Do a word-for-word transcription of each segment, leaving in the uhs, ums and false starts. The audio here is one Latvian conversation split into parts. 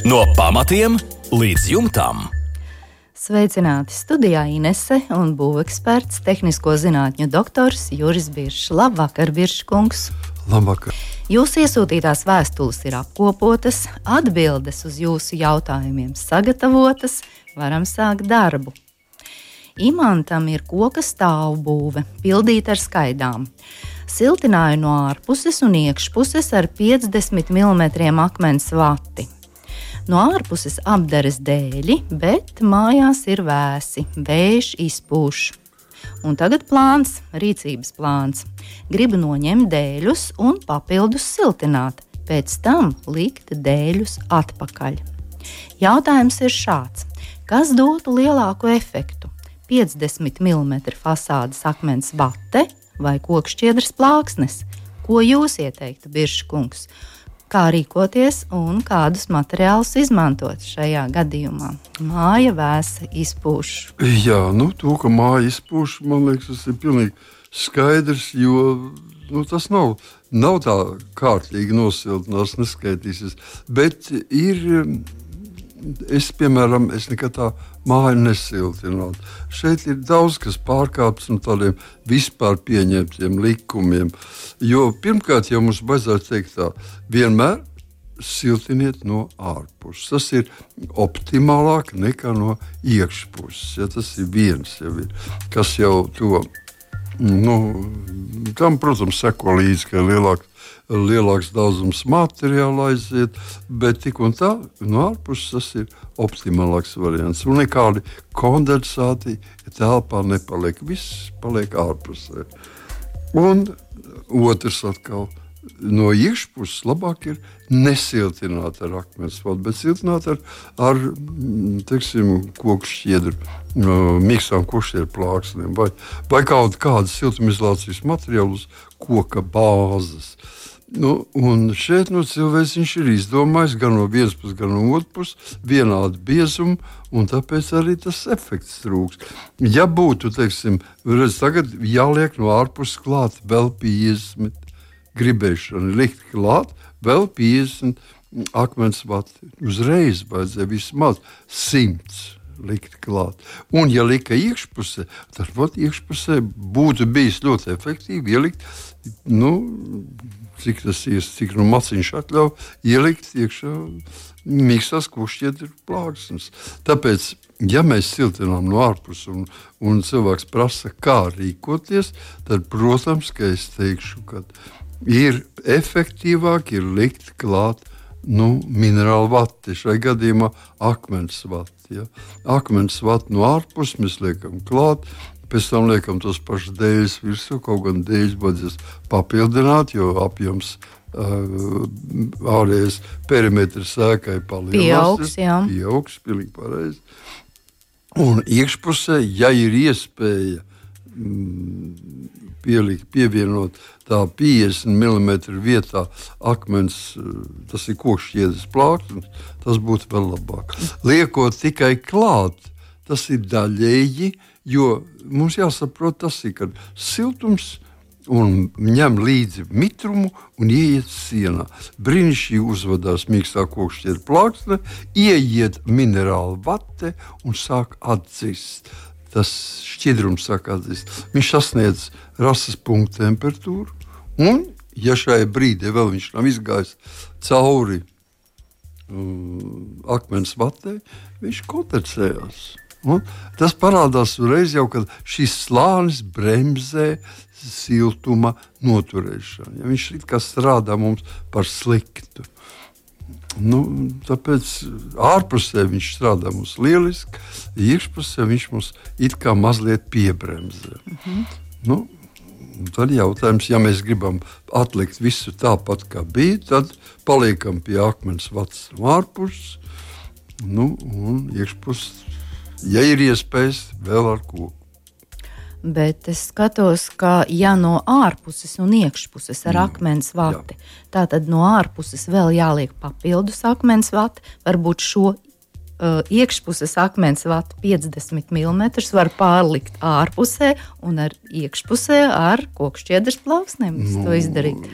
No pamatiem līdz jumtam. Sveicināti studijā Inese un būveksperts, tehnisko zinātņu doktors Juris Biršs. Labvakar, Biršs kungs! Labvakar! Jūsu iesūtītās vēstules ir apkopotas, atbildes uz jūsu jautājumiem sagatavotas, varam sākt darbu. Imantam ir koka stāvbūve, pildīta ar skaidām. Siltināju no ārpuses un iekšpuses ar piecdesmit milimetriem akmens vati. No ārpuses apdares dēļi, bet mājās ir vēsi, vējš izpūš. Un tagad plāns, rīcības plāns. Gribu noņemt dēļus un papildus siltināt, pēc tam likt dēļus atpakaļ. Jautājums ir šāds: kas dotu lielāku efektu? piecdesmit milimetru fasādes akmens vate vai kokšķiedras plāksnes? Ko jūs ieteiktu, Biršs kungs? Kā rīkoties un kādus materiālus izmantot šajā gadījumā? Māja vēsa izpūš. Jā, nu, to, ka māja izpūš, man liekas, tas ir pilnīgi skaidrs, jo nu, tas nav, nav tā kārtīgi nosiltinās, neskaitīsies. Bet ir, es, piemēram, es nekad tā māju nesiltinātu. Šeit ir daudz, kas pārkāpts no tādiem vispār pieņemtiem likumiem. Jo pirmkārt, jau mums vajadzētu teikt tā, vienmēr siltiniet no ārpuses. Tas ir optimālāk nekā no iekšpuses. Ja, tas ir viens, jau ir, kas jau to, nu, tam, protams, seko līdzi, ka lielāk, lielāks daudzums materiāla aiziet, bet tik un tā no ārpuses tas ir optimālāks variants. Un nekādi kondensāti telpā nepaliek. Viss paliek ārpusē. Un otrs atkal, no iekšpuses labāk ir nesiltināt ar akmens vatu, bet siltināt ar, ar teiksim, kokšķiedru, miksām kokšķiedru plāksnēm vai, vai kaut kādas siltumizolācijas materiālus koka bāzes. Nu, un šeit nu, cilvēks viņš ir izdomājis gan no vienas puses, gan no otras puses vienādu biezumu, un tāpēc arī tas efekts trūks. Ja būtu, teiksim, redz, tagad jāliek no ārpuses klāt vēl piecdesmit gribēšana, likt klāt vēl piecdesmit akmens vati. Uzreiz vajadzēja vismaz simts likt klāt. Un, ja lika iekšpusē, tad vat, iekšpusē būtu bijis ļoti efektīvi ielikt, nu, cik tas ir, cik nu maciņš atļauj, ielikt iekšā miksās kokšķiedru plāksnes. Tāpēc, ja mēs siltinām no ārpuses un, un cilvēks prasa, kā rīkoties, tad, protams, ka es teikšu, ka ir efektīvāk ir likt klāt nu, minerālu vati, šai gadījumā akmens vati. Ja. Akmens vati no ārpuses mēs liekam klāt, pēc tam liekam tos pašus dēļus virsū, kaut gan dēļus vajadzēs papildināt, jo apjoms uh, ārējais perimetrs sēkai palielinās. Pieaugs, jā. Pieaugs, pilnīgi pareizi. Un iekšpusē, ja ir iespēja mm, pielikt, pievienot tā piecdesmit milimetru vietā akmens, tas ir kokšķiedras plāksnes, tas būtu vēl labāk. Liekot tikai klāt, tas ir daļēji, jo mums jāsaprot tas ir, kad siltums un ņem līdzi mitrumu un ieiet sienā. Brīnišķīgi uzvedās mīkstā kokšķiedra plāksne, ieiet minerāla vate un sāk atzist. Tas šķidrums sāk atzist. Viņš sasniedz rases punktu temperatūru, un, ja šajā brīdī vēl viņš nav izgājis cauri um, akmens vatē, viņš kondensējās. Un tas parādās uzreiz jau, kad šis slānis bremzē siltuma noturēšanu. Ja viņš it kā strādā mums par sliktu. Nu, tāpēc ārpusē viņš strādā mums lieliski, iekšpusē viņš mums it kā mazliet piebremzē. Mm-hmm. Nu, tad jautājums, ja mēs gribam atlikt visu tāpat, kā bija, tad paliekam pie akmens vatas no ārpuses, nu, un iekšpus, ja ir iespējas, vēl ar koku. Bet es skatos, ka ja no ārpuses un iekšpuses ar mm. akmens vati, tā tad no ārpuses vēl jāliek papildus akmens vati, varbūt šo uh, iekšpuses akmens vatu piecdesmit milimetrus var pārlikt ārpusē un ar iekšpusē ar kokšķiedras plauksnēm. Nu, to izdarīt.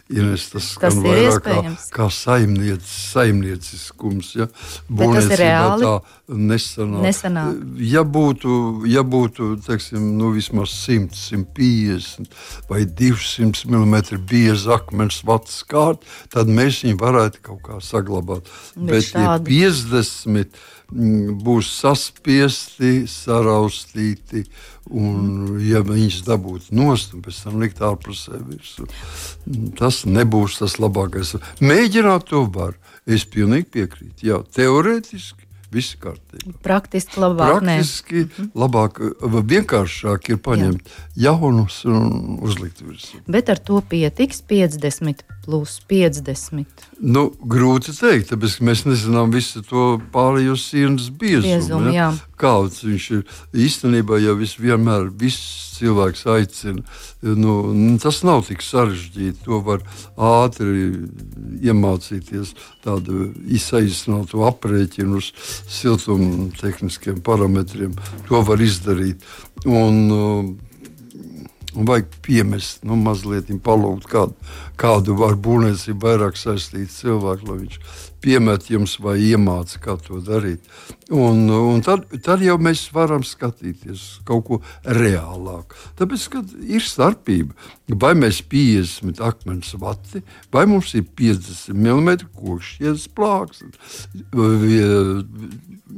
Ines, tas Tas skan ir vairāk kā, iespējams. kā saimniec, saimnieciskums. Ja? Bet tas ir reāli? Tā nesanāk. Nesanāk. Ja būtu, ja būtu teiksim, nu, vismaz simt, simt piecdesmit vai divsimt milimetri bieza akmens vats kārt, tad mēs viņu varētu kaut kā saglabāt. Bet Bet, ja šādi- piecdesmit mm, būs saspiesti, saraustīti, un ja viņš dabūtu nost un pēc tam likt ārpusē virsū, tas nebūs tas labākais. Mēģināt to var. Es pilnīgi piekrītu. Jā, teorētiski viss kārtībā. Praktiski labāk nē. Praktiski labāk, vai vienkāršāk ir paņemt jaunus un uzlikt virsū. Bet ar to pietiks piecdesmit plus piecdesmit. Nu, grūti teikt, tāpēc ka mēs nezinām visu to pārējo sienas biezumu. Biezumu, jā. Kāds viņš ir. Īstenībā jau vis vienmēr viss cilvēks aicina. Nu, tas nav tik sarežģīti. To var ātri iemācīties tādu izsaīsinātu aprēķinu uz siltuma tehniskiem parametriem. To var izdarīt. Un, Un vajag piemest, nu, mazliet palūgt kādu, kādu var būvniecību vairāk saistīt cilvēku, lai viņš piemet jums vai iemāca, kā to darīt. Un, un tad, tad jau mēs varam skatīties kaut ko reālāku. Tāpēc, kad ir starpība, vai mēs piecdesmit akmens vati, vai mums ir piecdesmit milimetri kokšķiedes plāksne.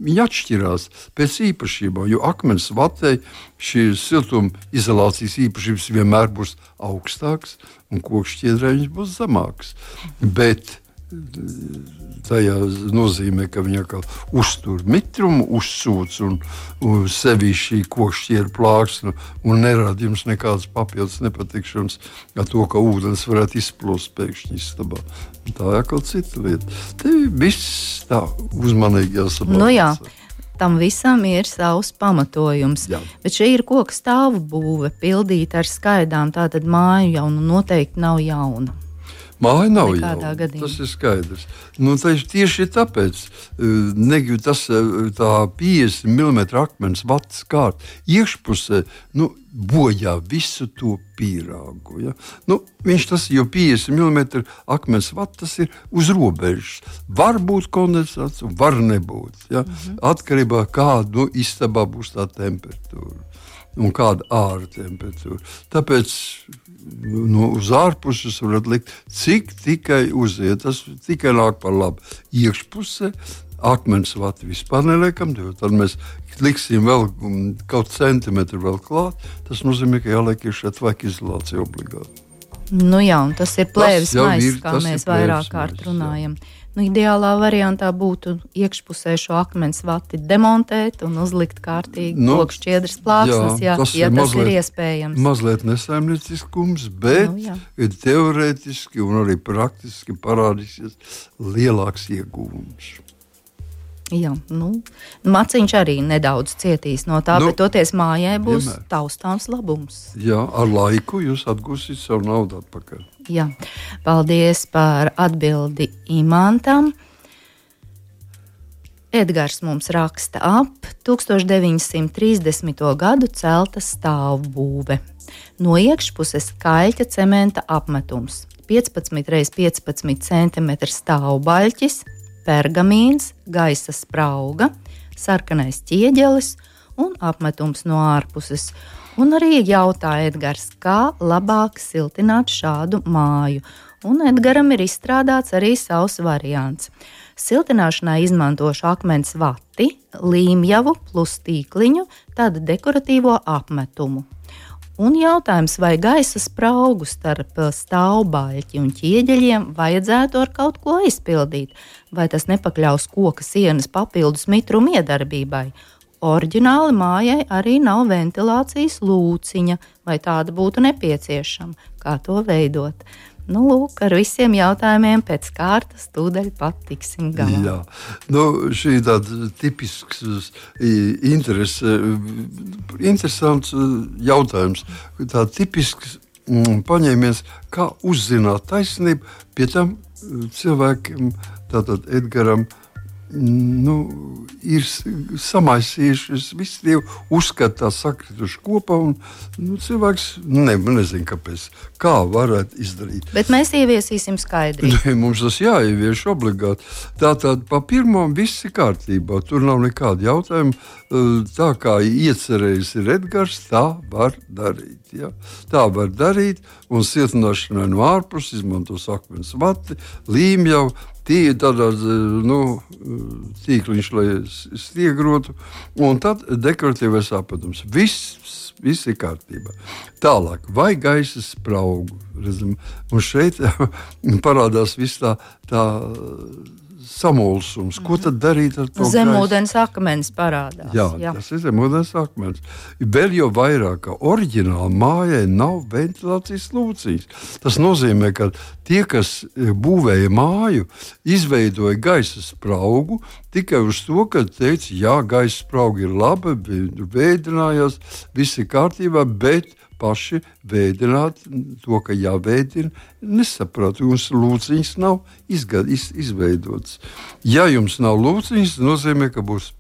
Viņi atšķirās pēc īpašībām, jo akmens vatei šī siltuma izolācijas īpašības vienmēr būs augstāks un kokšķiedrē viņš būs zemāks. Bet tajā nozīmē, ka viņa kā uztur mitrumu, uzsūc un, un sevi šī kokšķiedra plāksne un nerada jums nekādas papildus nepatikšanas ar to, ka ūdens varētu izplūst pēkšņi istabā. Tā ir kaut cita lieta. Te viss tā uzmanīgi jāsaprot. Nu jā, tam visam ir savs pamatojums. Jā. Bet šī ir koka stāvu būve, pildīta ar skaidām, tātad māju jau nu noteikti nav jauna. Māja nav Nekādā jauna, gadījumā. tas ir skaidrs. Nu, tieši tāpēc ne, tas, tā piecdesmit milimetru akmens vats kārt iekšpusē nu, bojā visu to pīrāgu. Ja? Nu, viņš tas, jo piecdesmit milimetru akmens vats tas ir uz robežas. Var būt kondensāts, var nebūt. Ja? Mhm. Atkarībā kāda nu, istabā būs tā temperatūra un kāda ārā temperatūra. Tāpēc nu, uz ārpuses varat likt, cik tikai uziet. Tas tikai nāk par labu. Iekšpusē akmens vati vispār neliekam, tad mēs liksim vēl kaut centimetru vēl klāt. Tas nozīmē, ka jāliek iekšā tveka izolācija obligāti. Nu jā, un tas ir plēves jau maiss, ir- kā tas ir mēs vairāk plēves kārt maiss, runājam. Nu, ideālā variantā būtu iekšpusē šo akmens vati demontēt un uzlikt kārtīgi Nu, kokšķiedras plāksnes, jā, tas ja ir tas mazliet- ir iespējams. Mazliet nesaimnieciskums, bet Nu, jā. ir teorētiski un arī praktiski parādīsies lielāks ieguvums. Jā, nu, maciņš arī nedaudz cietīs no tā, Nu, bet toties mājai būs vienmēr. taustāms labums. Jā, ar laiku jūs atgūsiet savu naudu atpakaļ. Jā. Paldies par atbildi Imantam. Edgars mums raksta ap deviņpadsmit trīsdesmito gadu celta stāvbūve. No iekšpuses kaļķa cementa apmetums, piecpadsmit reiz piecpadsmit centimetri stāvbaļķis, pergamīns, gaisa sprauga, sarkanais ķieģelis un apmetums no ārpuses. Un arī jautā Edgars, kā labāk siltināt šādu māju. Un Edgaram ir izstrādāts arī savs variants. Siltināšanai izmantošu akmens vati, līmjavu plus tīkliņu, tādu dekoratīvo apmetumu. Un jautājums, vai gaisa spraugu starp stāvbaļķi un ķieģeļiem vajadzētu ar kaut ko aizpildīt, vai tas nepakļaus koka sienas papildus mitruma iedarbībai. Oriģināli mājai arī nav ventilācijas lūciņa, vai tāda būtu nepieciešama, kā to veidot. Nu, lūk, ar visiem jautājumiem pēc kārtas tūdaļ pat tiksim galā. Jā, nu, šī ir tāda tipisks, interes, interesants jautājums. Tā tipisks mm, paņēmies, kā uzzināt taisnību, pie tam cilvēkiem, tātad Edgaram, nu, ir samaisījušies, visi tie uzskata tā sakrituši kopā, un nu, cilvēks ne, nezin, kāpēc, kā varētu izdarīt. Bet mēs ieviesīsim skaidrību. Ne, mums tas jāievieš obligāti. Tātad pa pirmo viss ir kārtībā, tur nav nekāda jautājuma. Tā kā iecerējis ir Edgars, tā var darīt. Ja? Tā var darīt, un siltināšanai no ārpus izmantos akmens vati, līmjau, Tī, tādā, nu, tīkliņš, lai stiegrotu, un tad dekoratīvais apēdums. Viss, viss ir kārtībā. Tālāk, vai gaisa spraugu? Redzam, un šeit parādās viss tā, tā samulsums. Ko tad darīt ar to zemūdens akmens parādās. Jā, jā, tas ir zemūdens akmens. Vēl jau vairāk, ka oriģināli mājai nav ventilācijas lūcīs. Tas nozīmē, ka tie, kas būvēja māju, izveidoja gaisa spraugu tikai uz to, ka teica, jā, gaisa sprauga ir laba, vēdinājās, viss ir kārtībā, bet paši vēdināt to, ka jāvēdina, nesaprot, jums lūciņas nav izgad, iz, izveidotas. Ja jums nav lūciņas, tas nozīmē, ka būs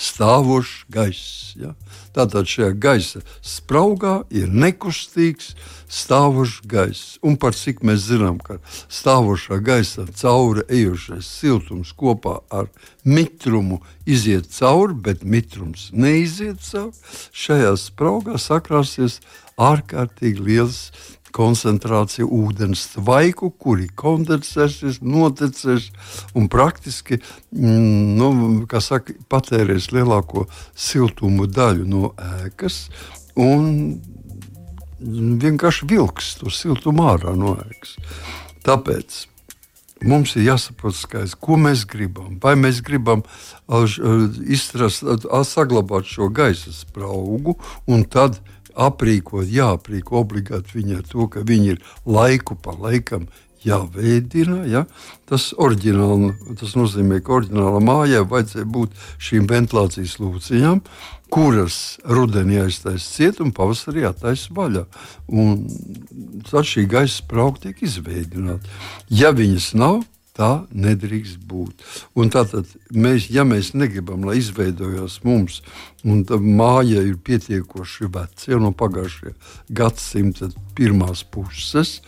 stāvošs gaiss. Ja? Tātad šajā gaisa spraugā ir nekustīgs stāvošs gaiss. Un par cik mēs zinām, ka stāvošā gaisa cauri ejošais siltums kopā ar mitrumu iziet cauri, bet mitrums neiziet cauri, šajā spraugā sakrāsies ārkārtīgi liels koncentrācija ūdens tvaiku, kuri kondensēsies, notecēs un praktiski nu, kā saka, patērēs lielāko siltumu daļu no ēkas un vienkārši vilks to siltumu ārā no ēkas. Tāpēc mums ir jāsaprot skaidrs, ko mēs gribam. Vai mēs gribam izstrast, saglabāt šo gaisa spraugu un tad aprīkot, jāaprīko obligāti viņi ar to, ka viņi ir laiku pa laikam jāveidina. Ja? Tas, tas nozīmē, ka oriģināla mājai vajadzēja būt šīm ventilācijas lūciņām, kuras rudenī aiztais ciet un pavasarī attaisa vaļā. Un tad šī gaisa sprauga tiek izveidināta. Ja viņas nav, tā nedrīkst būt. Un tātad, mēs, ja mēs negribam, lai izveidojās mums, un tā māja ir pietiekoši veca, jau no pagājušajā gadsimta pirmās puses,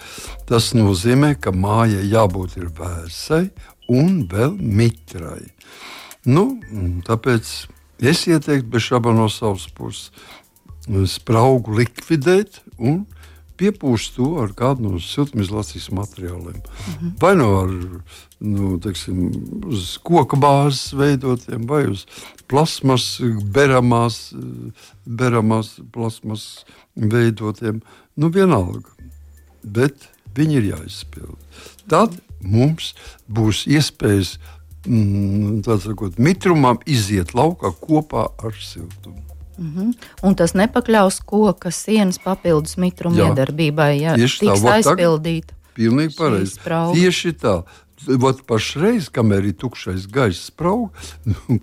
tas nozīmē, ka mājai jābūt ir vēsai un vēl mitrai. Nu, tāpēc es ieteiktu bez šāba no savas puses spraugu likvidēt un piepūst to ar kādu no siltumizolācijas materiāliem. Mm-hmm. Vai no ar nu, teiksim, uz koka bāzes veidotiem, vai uz plasmas, beramās, beramās plasmas veidotiem. Nu, vienalga. Bet viņi ir jāizpild. Tad mums būs iespējas mm, tā sakot, mitrumam iziet laukā kopā ar siltumu. Mm-hmm. Un tas nepakļaus koka sienas papildus mitruma Jā. iedarbībai, ja Tieši tiks tā, aizpildīta. Pilnīgi pareizi. Tieši tā. Vat pašreiz, kamēr ir tukšais gaisa sprauga,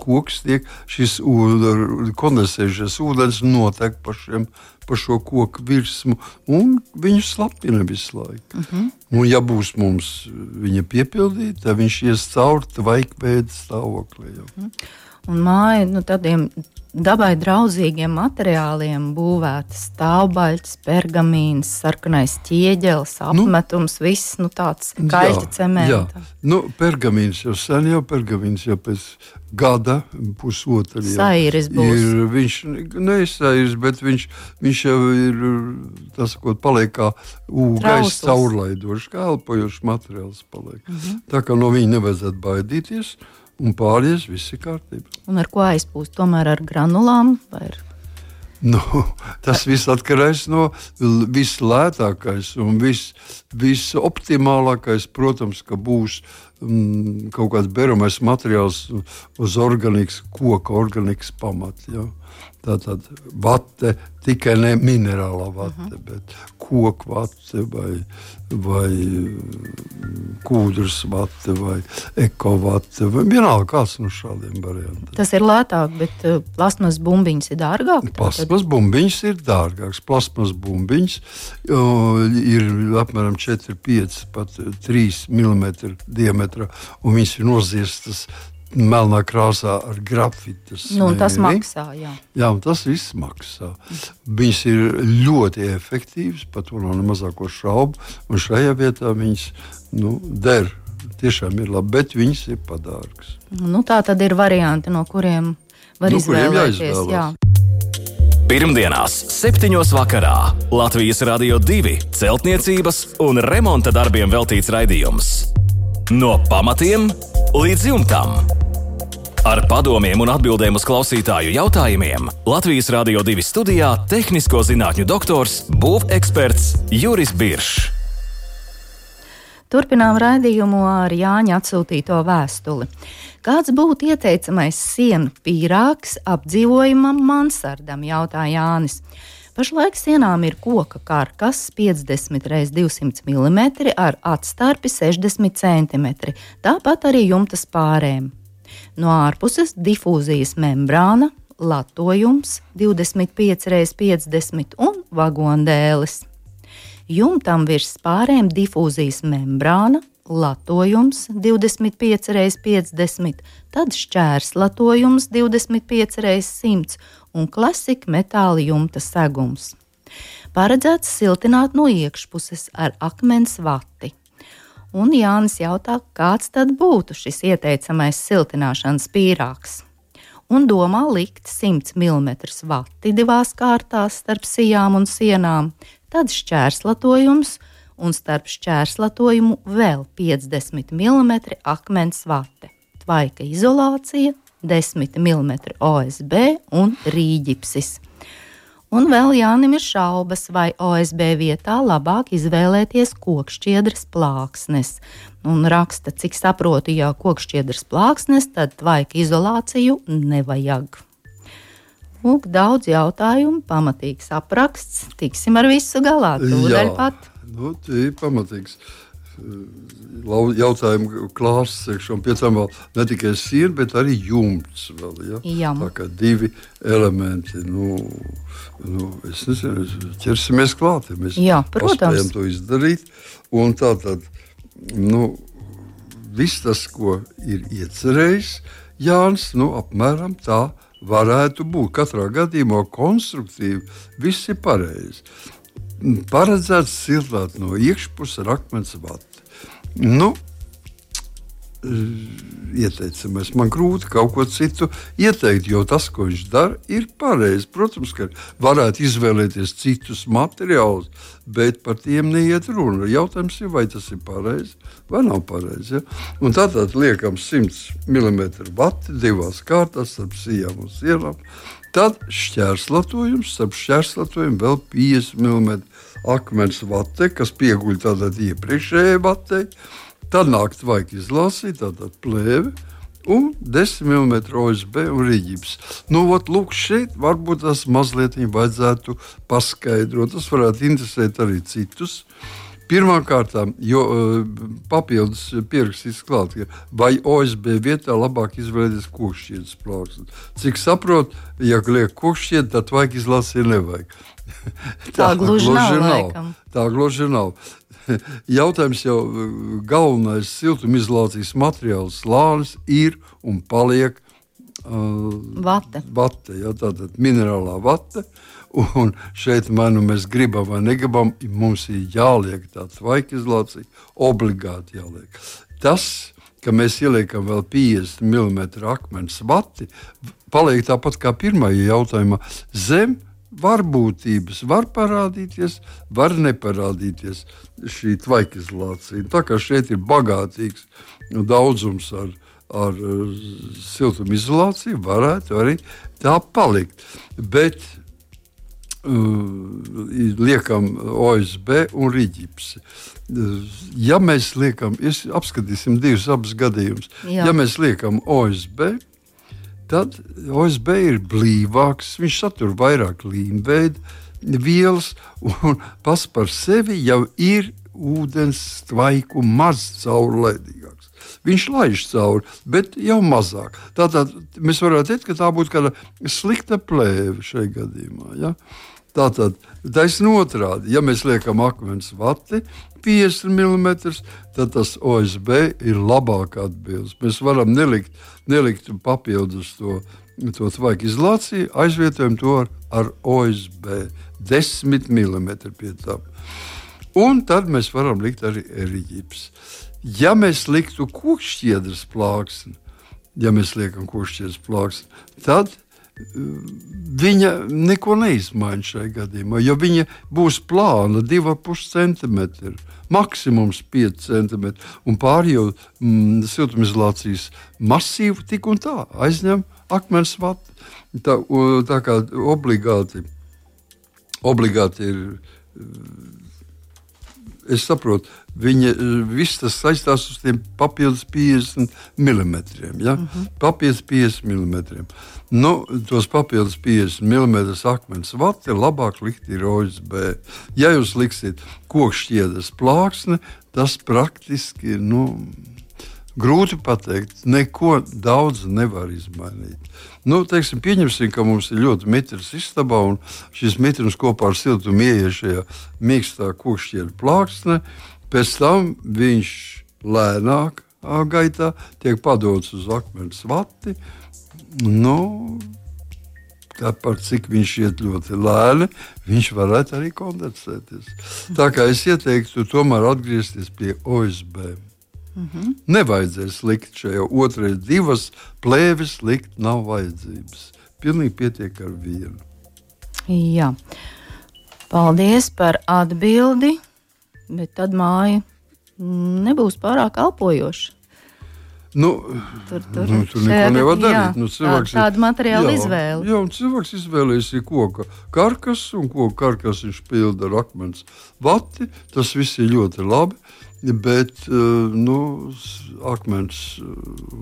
koks tiek šis kondensējušies ūdens notek pa, šiem, pa šo koku virsmu un viņu slapina visu laiku. Mm-hmm. Un ja būs mums viņa piepildīta, tad viņš ies cauri tvaikveida stāvoklī. Mm-hmm. Un māja, nu, tādiem dabai draudzīgiem materiāliem būvēta stāvbaļķis, pergamīns, sarkanais ķieģelis, apmetums, nu, viss nu, tāds kaļķa cementa. Nu, pergamīns jau sen jau, pergamīns jau pēc gada, pusotra jau. Sairis būs. Ir, viņš nesairis, bet viņš, viņš jau ir, tas, ko paliek kā gaisa caurlaidošs, kā elpojošs materiāls paliek. Mm-hmm. Tā kā no viņa nevajadzētu baidīties. Un pārējais viss ir kārtībā. Un ar ko aizpūst? Tomēr ar granulām? Vai ar... Nu, tas viss atkarīgs no vislētākais un vis, visoptimālākais, protams, ka būs mm, kaut kāds beramais materiāls uz organikas, koka organikas pamata. Ja? Tātad vate, tikai ne minerālā vate, uh-huh. bet koku vate vai, vai kūdras vate vai eko vate. Vai vienalga kāds no šādiem variantiem. Tas ir lētāk, bet uh, plasmas bumbiņas ir dārgāk? Plasmas bumbiņas ir dārgāks. Plasmas bumbiņas uh, ir apmēram četri, pieci, pat trīs milimetri diametrā, un viņas ir noziestas melnā krāsā ar grafitas. Nu, tas maksā, jā. Jā, un tas viss maksā. Viņas ir ļoti efektīvas, par to nav ne mazāko šaubu, un šajā vietā viņas nu, der. Tiešām ir labi, bet viņas ir padārgas. Nu, tā tad ir varianti, no kuriem var no izvēlēties. Jā. Pirmdienās, septiņos vakarā Latvijas Radio divi celtniecības un remonta darbiem veltīts raidījums. No pamatiem līdz jumtam. Ar padomiem un atbildēm uz klausītāju jautājumiem Latvijas Radio divi studijā tehnisko zinātņu doktors, būveksperts Juris Biršs. Turpinām raidījumu ar Jāņa atsūtīto vēstuli. Kāds būtu ieteicamais sienu pīrāgs apdzīvojamam mansardam, jautā Jānis. Pašlaik sienām ir koka karkas piecdesmit reiz divsimt milimetri ar atstarpi sešdesmit centimetri, tāpat arī jumta spārēm. No ārpuses difūzijas membrāna, latojums divdesmit pieci reiz piecdesmit un vagondēles. Jumtam virs spārēm difūzijas membrāna, latojums divdesmit pieci reiz piecdesmit, tad šķērslatojums divdesmit pieci reiz simts un klasika metāla jumta segums. Paredzēts siltināt no iekšpuses ar akmens vati. Un Jānis jautā, kāds tad būtu šis ieteicamais siltināšanas pīrāgs. Un domā likt simt milimetru vati divās kārtās starp sijām un sienām, tad šķērslatojums un starp šķērslatojumu vēl piecdesmit milimetri akmens vate, tvaika izolācija, desmit milimetri O S B un rīģipsis. Un vēl Jānim ir šaubas, vai O S B vietā labāk izvēlēties kokšķiedras plāksnes. Un raksta, cik saprotu, ja kokšķiedras plāksnes, tad tvaika izolāciju nevajag. Lūk, daudz jautājumu, pamatīgs apraksts, tiksim ar visu galā, tūdaļ pat. Nu, tie ir pamatīgs jautājumu klāsts, un pie tam vēl ne tikai siena, bet arī jumts vēl, ja? Jā. Tā kā divi elementi, nu, nu es nezinu, ķersimies klāt, ja mēs Jā, protams. paspējam to izdarīt, un tā tad, nu, viss tas, ko ir iecerējis Jānis, nu, apmēram tā varētu būt. Katrā gadījumā konstruktīvi viss ir pareizi. Paredzēts siltināt no iekšpuses ar akmens vati. Nu, ieteicamais. Man grūti kaut ko citu ieteikt, jo tas, ko viņš dara, ir pareizi. Protams, ka varētu izvēlēties citus materiālus, bet par tiem neiet runa. Jautājums ir, vai tas ir pareizi vai nav pareizi. Ja? Un tātad liekam simt milimetru vati divās kārtās starp sijām un sienām. Tad šķērslatojums, starp šķērslatojumu vēl piecdesmit milimetru akmens vate, kas pieguļ tātad iepriekšējai vatei. Tad nāk tvaika izlāsīja, tātad plēve un desmit milimetru O S B un rīģips. Nu, ot, lūk, šeit varbūt tas mazliet vajadzētu paskaidrot. Tas varētu interesēt arī citus. Pirmkārt, jo papildus pierakstīts klāt, vai O S B vietā labāk izvēlēties kokšķiedras plāksni. Cik saprot, ja liek kokšķiedra, tad tvaika izlāsīja nevajag. Tā, tā gluži nav, laikam. Tā gluži nav. Jautājums jau galvenais siltumizolācijas materiāls slānis ir un paliek uh, vate. vate ja, tātad minerālā vate. Un šeit, vai nu mēs gribam vai negribam, mums ir jāliek tā tvaika izolācija, obligāti jāliek. Tas, ka mēs ieliekam vēl piecdesmit milimetru akmens vati, paliek tāpat kā pirmajā jautājumā zem varbūtības var parādīties, var neparādīties šī tvaika izolācija. Tā kā šeit ir bagātīgs daudzums ar, ar siltumizolāciju, varētu arī tā palikt. Bet uh, liekam O S B un rīģipsi. Ja mēs liekam, apskatīsim divus abus gadījumus. Ja mēs liekam O S B, tad O S B ir blīvāks, viņš satur vairāk līmveida vielas un pats par sevi jau ir ūdens tvaiku maz caurlaidīgāks. Viņš laiž cauri, bet jau mazāk. Tātad mēs varētu teikt, ka tā būtu kāda slikta plēve šajā gadījumā. Ja? Tātad, taisn otrādi, ja mēs liekam akmens vati piecdesmit milimetrus, tad tas O S B ir labāk atbildes. Mēs varam nelikt, nelikt papildus to, to tvaika izolāciju, aizvietojam to ar, ar O S B desmit milimetri pie tam. Un tad mēs varam likt arī eriģips. Ja mēs liktu kokšķiedras plāksni, ja mēs liekam kokšķiedras plāksni, tad viņa neko neizmaina šajā gadījumā, jo viņa būs plāna divi ar pus centimetri, maksimums pieci centimetri, un pārējo mm, siltumizolācijas masīvu tik un tā aizņem akmens vati. Tā, tā kā obligāti, obligāti ir. Es saprotu, viņa viss tas saistās uz tiem papildus piecdesmit milimetriem. Ja? Uh-huh. Papildus piecdesmit milimetriem. Nu, tos papildus piecdesmit milimetrus akmens vati labāk likt ir O S B. Ja jūs liksiet kokšķiedras plāksni, tas praktiski, nu, grūti pateikt, neko daudz nevar izmainīt. Nu, teiksim, pieņemsim, ka mums ir ļoti mitrs istabā, un šis mitrums kopā ar siltumu ieiet šajā mīkstā kokšķiedra plāksne. Pēc tam viņš lēnāk gaitā tiek padots uz akmens vati. Nu, tāpēc, cik viņš iet ļoti lēni, viņš varētu arī kondensēties. Tā kā es ieteiktu tomēr atgriezties pie O S B. Mm-hmm. Nevajadzēs likt šajā otrajā divas plēves, likt nav vajadzības. Pilnīgi pietiek ar vienu. Jā. Paldies par atbildi, bet tad māja nebūs pārāk elpojoša. Nu, tur tur, nu, tur neko nevar darīt. Jā, nu, tā, tāda materiāla jā, izvēle. Jā, un cilvēks izvēlējas koka karkas, un koka karkas viņš pilda ar akmens vati. Tas viss ir ļoti labi. Bet nu, akmens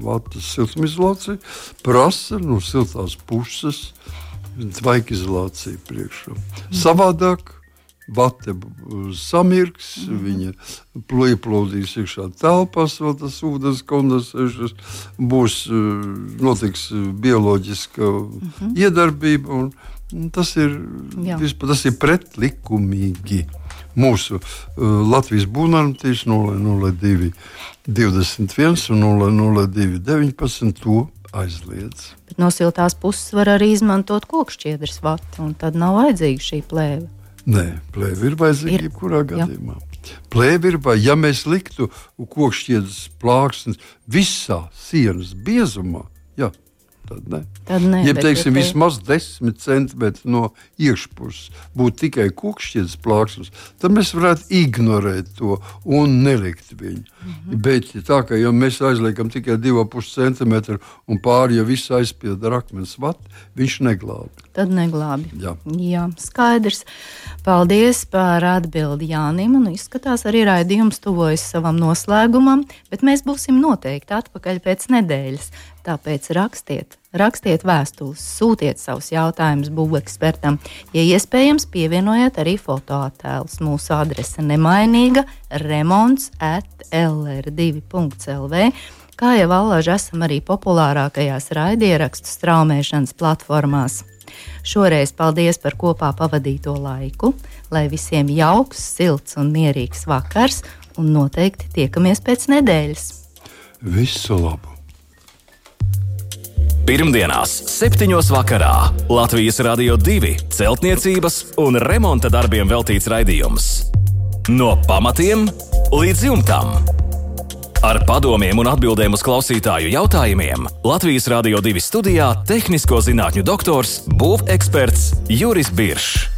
vatas siltumizolācija prasa no siltās puses tvaika izolāciju priekšā. Mm. Savādāk vate samirks, mm. viņa ieplūdīs iekšā telpās, vēl tas ūdens kondensēšanas, būs, notiks bioloģiska mm. iedarbība, un, un tas ir, vispār, tas ir pretlikumīgi. Mūsu uh, Latvijas būvnormatīvs nulle nulle divi divdesmit viens un nulle nulle divi deviņpadsmit to aizliedz. Bet no siltās puses var arī izmantot kokšķiedras vati, un tad nav vajadzīga šī plēve. Nē, plēve ir vajadzīga jebkurā gadījumā. Plēve ir vajadzīga, ja mēs liktu kokšķiedras plāksnes visā sienas biezumā, jā, tad ne. Tad ne, ja, teiksim, te... vismaz desmit centimetri no iekšpuses būtu tikai kokšķiedras plāksnes, tad mēs varētu ignorēt to un nelikt viņu. Mm-hmm. Bet tā, ka ja mēs aizliekam tikai divi ar pus centimetri un pāri, ja viss aizpild ar akmens vati, viņš neglābi. Tad neglābi. Jā. Jā, skaidrs. Paldies par atbildi Jānim, un izskatās arī raidījums tuvojas savam noslēgumam, bet mēs būsim noteikti atpakaļ pēc nedēļas. Tāpēc rakstiet, rakstiet vēstules, sūtiet savus jautājumus būvekspertam. Ja iespējams, pievienojiet arī fotoattēlus. Mūsu adrese nemainīga remonts at l r divi punkts l v. Kā jau allaž esam arī populārākajās raidierakstu straumēšanas platformās. Šoreiz paldies par kopā pavadīto laiku, lai visiem jauks, silts un mierīgs vakars, un noteikti tiekamies pēc nedēļas. Visu labu! Pirmdienās, septiņos vakarā Latvijas Radio divi celtniecības un remonta darbiem veltīts raidījums. No pamatiem līdz jumtam. Ar padomiem un atbildēm uz klausītāju jautājumiem Latvijas Radio divi studijā tehnisko zinātņu doktors, būveksperts Juris Biršs.